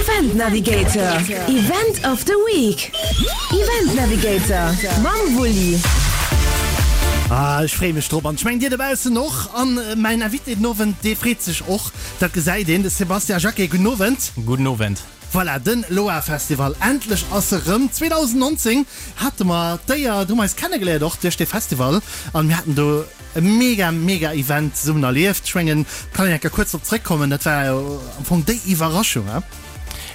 Event Navigator, Event of the Week. Event Navigator mam Wulli. Ah, ech freeë mech drop an ech mengen dir dobaussen och. An mäin Invité den Owend, dee freet sech och, dat gesäit een, de Sébastien Jacqué. Gudden Owend. Gudden Owend. Voilà, den Loa Festival, endlech ass e rëm. 2019 hate mer d'Éier, do hu mer eis kennegeléiert och duerch dee Festival an mir haten do e mega, mega Event zesummen erlieft. Ech mengen, kann een eng Kéier kuerz drop zréckkommen, dat war jo am Fong déi Iwwerraschung, he?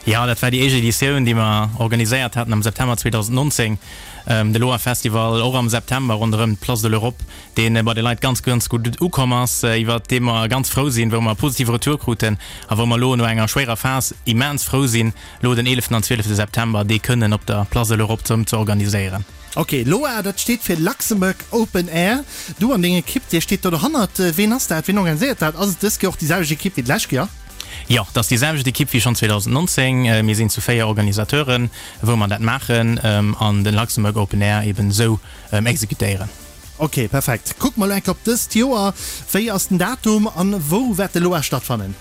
Jo, dat war déi éischt Editioun, déi mer organiséiert haten am September 2019, de Loa Festival, och am September ronderëm d'Place de l'Europe, dee bei de Leit ganz, ganz gutt ukomm ass, iwwert dee mer ganz frou sinn, wou mer e positive Retour kruten a wou mer elo no enger schwéierer Phas immens frou sinn, elo den 11. an 12. September dee kënnen op der Place de l'Europe zerëm ze organiséieren. Ok, LOA, dat steet fir Luxembourg Open Air. Du an deng Ekipp, dir steet do dohannert. Ween ass dat? Ween organiséiert dat? Ass et dës Kéier och déi selwecht Ekipp wéi d'lescht Kéier? Jo, et ass déi selwecht Ekipp wéi schonn 2019. Mir sinn zu 4 Organisateuren, wou mer dat maachen an den Luxembourg Open Air eben esou exekutéieren. Ok, perfekt. Kucke mer elo eng Kéier op dëst Joer. Wéi ass den Datum an wou wäert de LOA stattfannen?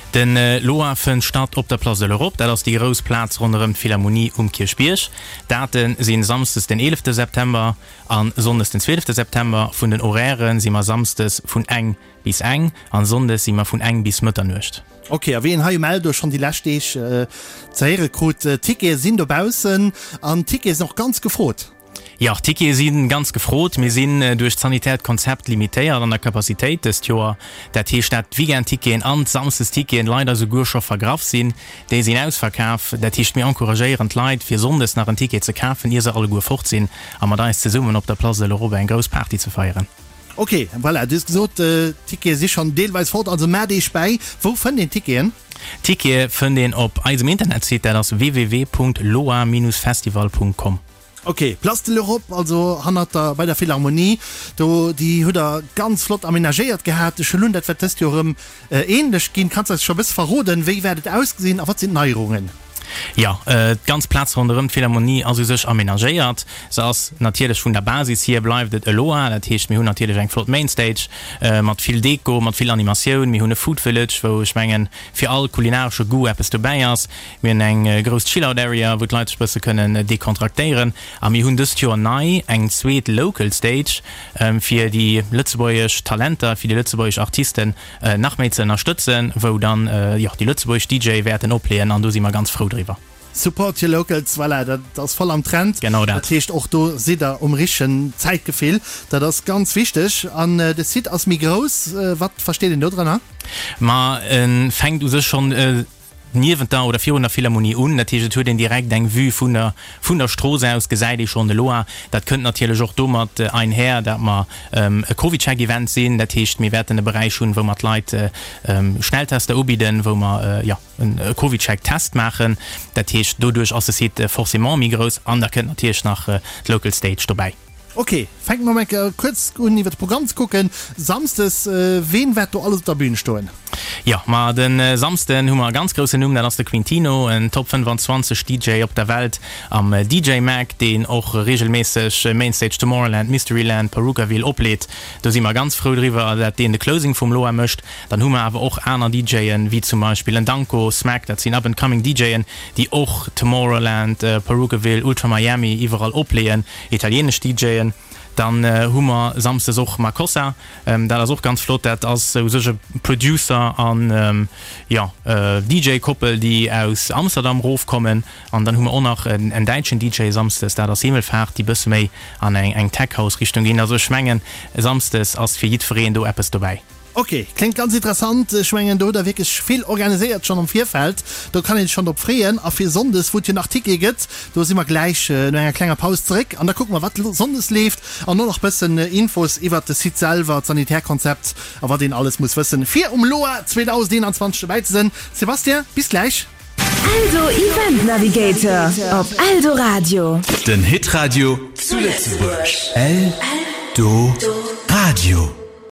Den LOA fënnt statt op der Place de l'Europe, dat ass déi grouss Plaz ronderëm d'Philharmonie um Kierchbierg. Date sinn Samsdes den 11 September an Sonndes den 12 September. Vun den Horairen si mer Samsdes vun eng bis eng an Sonndes si mer vun eng bis Mëtternuecht. Ok, a wéi een hei um Eldo schonn déi lescht Deeg ze héiere krut, Tickete sinn dobaussen an Tickete sinn och ganz gefrot. Jo, d'Tickete si ganz gefrot. Mir sinn duerch d'sanitäert Konzept limitéiert an der Capacitéit dëst Joer. Dat heescht, dat d'Weekendticketen an d'Samsdesticketen leider souguer scho vergraff sinn. Déi sinn ausverkaf. Dat heescht, mir encouragéieren d'Leit, fir sonndes nach en Ticket ze kafen, ier se alleguer fort sinn, a mat eis zesummen op der Place de l'Europe eng grouss Party ze feieren. Ok, voilà, du hues gesot, d'Tickete si schonn deelweis fort, also maacht Iech bäi. Wou fënnt een d'Ticketen? D'Tickete fënnt een op eisem Internetsite, dat ass www.loa-festival.com. Ok, Place de l'Europe, also hannert der, bei der Philharmonie do, déi hutt der ganz flott amenagéiert gehat. Ech huelen un, dat wäert dëst Joer erëm ähnlech ginn. Kanns eis scho e bësse verroden, wéi wäert et ausgesinn a wat sinn d'Neierungen? Jo, d'ganz Plaz ronderëm d'Philharmonie ass u sech amenagéiert. Se ass natierlech vun der Basis hier bleift et elo al. Dat heescht, mir hunn natierlech eng flott Mainstage mat vill Deko, mat vill Animatioun. Mir hunn e Food Village, wou ech mengen, fir all kulinaresche Goût eppes dobäi ass. Mir hunn eng grouss Chill-Out Area, wou d'Leit sech bësse kënnen dekontraktéieren. A mir hunn dëst Joer nei eng zweet Local Stage, fir déi lëtzebuergesch Talenter, fir déi lëtzebuergesch Artisten nach méi ze ënnerstëtzen, wou dann, jo, déi lëtzebuergesch DJe wäerten opleeën an do si mer ganz frou driwwer. Support your locals, voilà, dat ass voll am Trend. Genau dat. Dat heescht, och do sidd der um richtegen Zäitgefill. Dat ass ganz wichteg. An de Site ass méi grouss. Wat versteet een do drënner? Ma e fänkt u sech schonn niewent der oder virun der Philharmonie un. Dat heescht, et huet een direkt eng Vue vun der, vun der Strooss aus gesäit ee schonn de Loa. Dat kënnt natierlech och domat einher, dat mer e CovidCheck-Event sinn. Dat heescht, mir wäerten e Beräich hunn, wou mer d'Leit Schnelltester ubidden, wou mer, jo, e CovidCheck-Test maachen. Dat heescht, doduerch ass de Site forcément méi grouss an da kënnt natierlech nach d'Local Stage dobäi. Ok, fänke mer mol kuerz un iwwer de Programm ze kucken. Samsdes, ween wäert do alles op der Bühn stoen? Jo, ma de Samsden hu mer e ganz groussen Numm, dat ass de Quintino, en Top 25 DJ op der Welt am DJ Mag, deen och reegelméisseg Mainstage Tomorrowland, Mysteryland, Parookaville opleet. Do si mer ganz frou driwwer, dat deen de Closing vum Loa mécht. Dann hu mer awer och aner DJen, wéi zum Beispill en Danko, Smack, dat sinn up and coming DJen, déi och Tomorrowland, Parookaville, Ultra Miami iwwerall opleeën. Italienesch DJen. Dann hu mer Samsdes och Makossa, dat ass och ganz flott. Dat ass u sech e Producer an, jo, DJ-Koppel, déi aus Amsterdam rofkommen. An dann hu mer och nach en däitschen DJ Samsdes, dat ass Himmelfahrt, déi bësse méi an eng Tech-House-Richtung ginn. Also ech mengen, Samsdes ass fir jiddwereen do eppes dobäi. Ok, kléngt ganz interessant. Ech mengen do hutt der wierklech vill organiséiert schonn am Virfeld. Do kann een sech schonn drop freeën. A fir Sonndes, wou et jo nach Tickete gëtt, do si mer gläich no enger klenger Paus zeréck an da kucke mer wat Sonndes leeft an och nach bëssen Infos iwwert de Site selwer, d'Sanitärkonzept a wat een alles muss wëssen fir um LOA 2021 dobäi ze sënn. Sébastien, bis gläich. Eldo Event Navigator op Eldoradio. Den Hitradio zu Lëtzebuerg. Eldoradio.